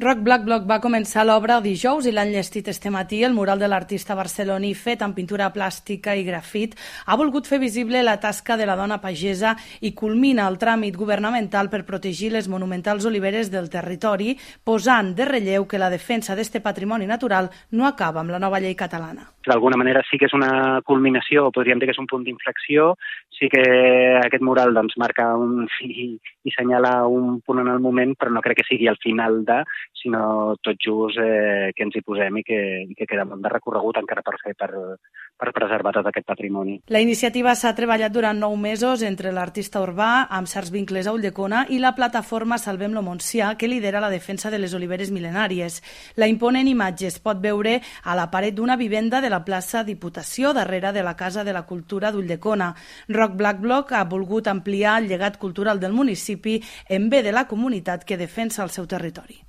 Rock Black Block va començar l'obra dijous i l'han llestit este matí. El mural de l'artista barceloní fet amb pintura plàstica i grafit ha volgut fer visible la tasca de la dona pagesa i culmina el tràmit governamental per protegir les monumentals oliveres del territori, posant de relleu que la defensa d'este patrimoni natural no acaba amb la nova llei catalana. D'alguna manera sí que és una culminació, podríem dir que és un punt d'inflexió, sí que aquest mural marca i senyala un punt en el moment, però no crec que sigui el final sinó tot just que ens hi posem i que queda molt de recorregut encara per fer per preservar tot aquest patrimoni. La iniciativa s'ha treballat durant 9 mesos entre l'artista urbà, amb certs vincles a Ulldecona, i la plataforma Salvem lo Montsià, que lidera la defensa de les oliveres mil·lenàries. La imponent imatge es pot veure a la paret d'una vivenda de la plaça Diputació, darrere de la Casa de la Cultura d'Ulldecona. Rock Black Block ha volgut ampliar el llegat cultural del municipi en bé de la comunitat que defensa el seu territori.